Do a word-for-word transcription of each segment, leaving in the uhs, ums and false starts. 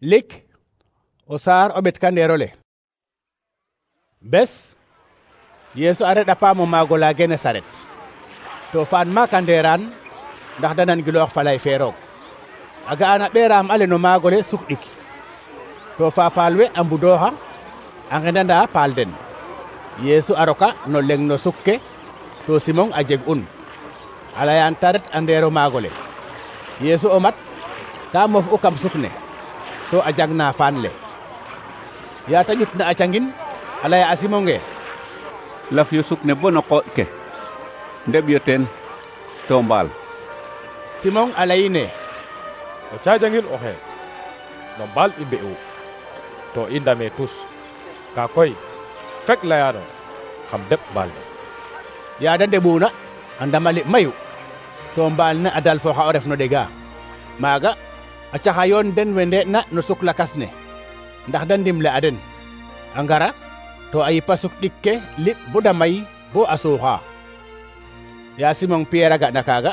lik o saar o ɓet kandeerole. Bes Yeesu a reɗa paam o maago la Genesaret to faan ma kandeeraan ndax da nangiloox falay fe roog. A ga'an a ɓeeraam ale no maagole suk ɗik to faafaal we a mbudooxa a nqendana paal den. Yeesu a roka no leŋ no suk ke to Simon a jeg un a layaan ta ret a ndeero maagole. Yeesu o mat ka mof u kam suk ne so a jangna faan le. yaa ta ƴutna a cangin a laya a Simon nge: laf yo suk ne bo no qooɗ ke ndeɓ yo teen to mbaal. Simon a layine: o cajangin oxe no mbaal i mbe'u to i ndame tus, ka koy fek layano xam deɓ mbaal ne. yaa da ndeɓuna a ndamali mayu to mbaal ne a dal fo xa o ref no ɗega. maaga a caxayoon den we nde'na no suk lakas ne ndax da ndimle a den. a ngara to a yipa suk ɗik ke liɓ bo da may bo a suuxa. yaa Simon Pierre a ga'na kaaga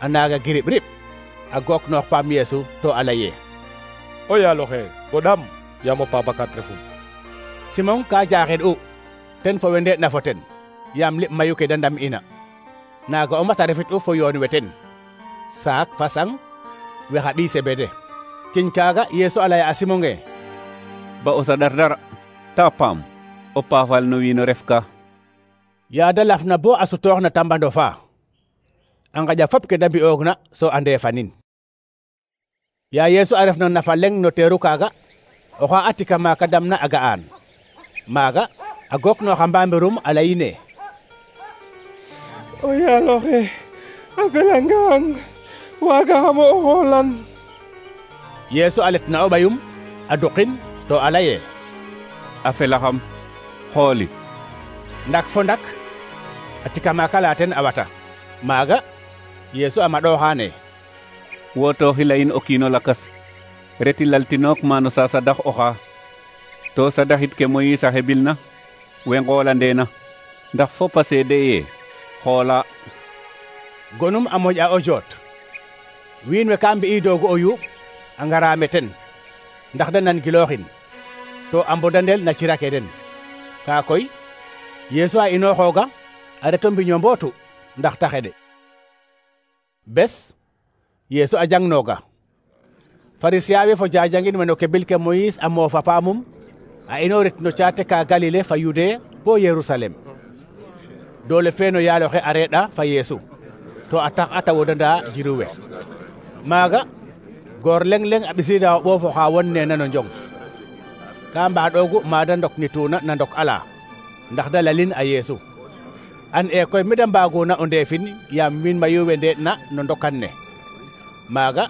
a naaga girib rib a gook noox paam Yeesu to a laye: o yaaloxe goɗaam yaam o paabakat refum. Simon ka jaaxid u ten fo we nde'na fo ten yaam liɓ mayu ke da ndam ina. naaga o mat a refit u fo yoon we ten saak fa sang we xa ɗii sebede. ciñ kaaga Yeesu a laya a Simon nge: ba o saɗar dara ta paam o paafal no wiin o ref ka. yaa da lafna bo a sutoox na tambando fa a ngaƴa fop ke da mbi'oogna so a ndeefanin. yaa Yeesu a ref no nafa leŋ no teeru kaaga oxa a tika maaka damna a ga'aan. maaga a gook nooxa mbambirum a layine: o yaaloxe a felangang waagaxamo o xoolan. Yeesu a letna o ɓayum a duqin to a laye: a felaxam xooli. ndak fo ndak a tika maaka la ten a wata. maaga Yeesu a maɗooxaane: wootooxi layin o kiino lakas reti laltinook maano sa sadax oxa to sadaxit ke Moyiis a xebilna we ngoolandeena ndax fop a seede ye xoola. gonum a moƴ'a o joot. wiin we ka mbi'idoogu o yuuɓ a ngaraame ten ndax da nangilooxin to a mbodandel na cira ke den. kaa koy Yeesu a inooxooga a reto mbiño mbootu ndax ta xeɗe. bes Yeesu a jangnooga. Farisiya we fo jajangin we no kebil ke Moyiis a moofa paamum a inoorit no caate ka Galile fa Yude bo Yerusalem. doole fe no yaaloxe a reeɗa fa Yeesu to a tax a ta wodanda jiru we. maaga goor leŋ leŋ a ɓisiida o ɓoof oxa won neena no njong. ka mbaaɗoogu maada ndoknituuna na ndok ala ndax da lalin a Yeesu. an e koy mi da mbaaguna o ndeefin yaam wiin mayu we ndeeɗna no ndokan ne. maaga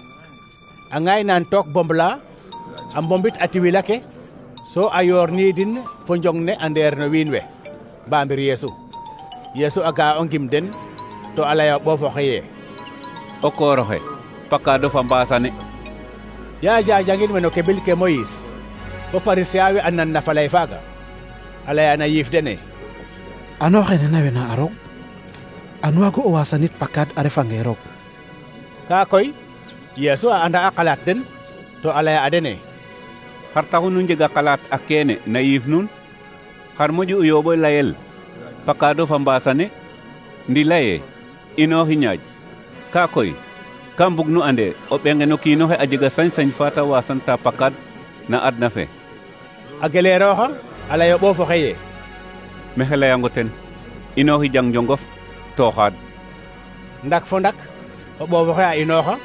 a ŋaynaan took bombla a mbombit a tiwila ke so a yoorniidin fo njong ne a ndeer no wiin we mbamir Yeesu. Yeesu a ga'a o ngim den to a laya o ɓoof oxe ye: o koor oxe pakaado fa mbaasane. yaa jajangin we no kebil ke Moyiis fo Farisiya we a nan na falay faaga a layana yiif dene: ano xene nawena a roog an waago o waasanit pakaad a refange roog. kaa koy Yeesu a anda a xalaat den to a laya a dene: xar taxu nu njega xalaat a keene na yiif nuun? xar moƴu o yooɓo layel pakaado fa mbaasane ndi laye inooxi ñaaj. kaa koy ka mbug nu ande o ɓenge no kiinoxe a jega sañ-sañ fa ta waasanta pakaad na adna fe. a geleerooxa a lay o ɓoof oxe ye: mexe layango ten inooxi jang njongof to xaad. ndak fo ndak o ɓoof oxe a inooxa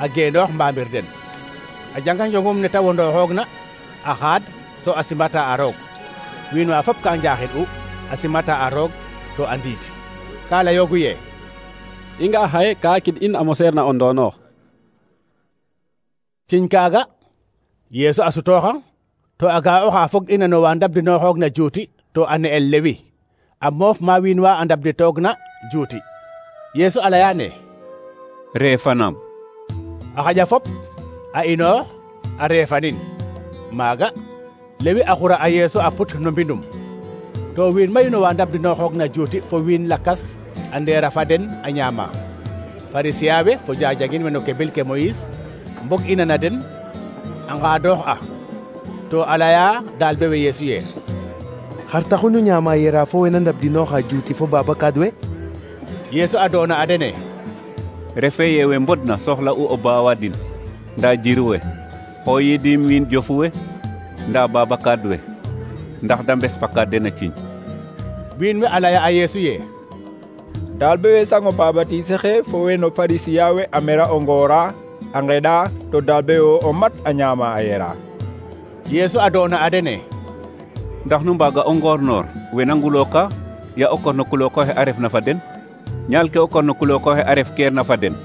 a geenoox mbamir den a janga njongum ne ta wondooxoogna a xaad so a simata a roog. wiin wa fop ka njaaxid u a simata a roog to a ndiid. ka layoogu ye: i nga xaye ka kid in a moseer na o ndoonoox. ciñ kaaga Yeesu a sutooxa to a ga'a oxa fog ina no wa ndabdinooxoogna juuti to a ne'el Lewi a moof ma wiin wa a ndabditoogna juuti. Yeesu a layaane: reefanaam. a xaƴa fop a inoox a reefanin. maaga Lewi a xura a Yeesu a put no mbindum to wiin mayu no wa ndabdinooxoogna juuti fo wiin lakas a ndeera fa den a ñaama. Farisiya we fo jajangin we no kebil ke Moyiis mbog ina na den a ngadoox a to a leya dalbe we Yeesu ye xar taxu nu ñaama yera fo wena ndabdinooxa juuti fo babakaad we? Yeesu a doona a dene refe ye we mbodna soxla u o baawadin nda jiru we xoyidim wiin jofu we nda babakaad we ndax da mbes pakaad den a ciiñ. wiin we a leya a Yeesu ye dalbe we sango babatise xe fo we no farisiya we a mera o ngoora a ngeɗa to dalbe yo o mat a ñaama a yera. Yeesu a doona a dene ndax nu mbaga o ngoornoor we na ngulooka ya o korno kulookoxe a refna fa den ñaal ke o korno kulookoxe a ref keer na fa den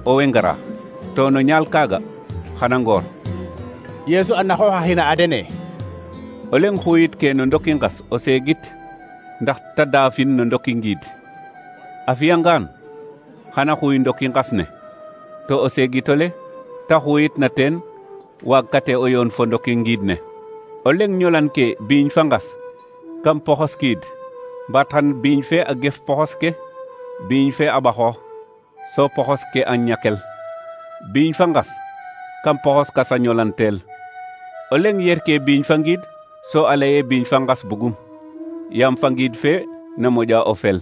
o we ngara to no ñaal kaaga xana ngoor. Yeesu a naxooxaxina a dene o leng xuyit ke no ndoki ngas o seegit ndax ta daafin no ndoki ngiid a fiyangaan xana xuy ndoki ngas ne to o seegitole ta xuyit na teen waagkate o yoon fo ndoki ngiid ne. o leng ñolan ke biiñ fa ngas kam poxos kiid mbaat xan biiñ fe a gef poxos ke biiñ fe a ɓaxoox so poxos ke a ñakel biiñ fa ngas kam poxos kas a ñolanteel. o leng yer ke biiñ fa ngiid so a leye biiñ fa ngas bugum yaam fa ngiid fe na moƴa o fel.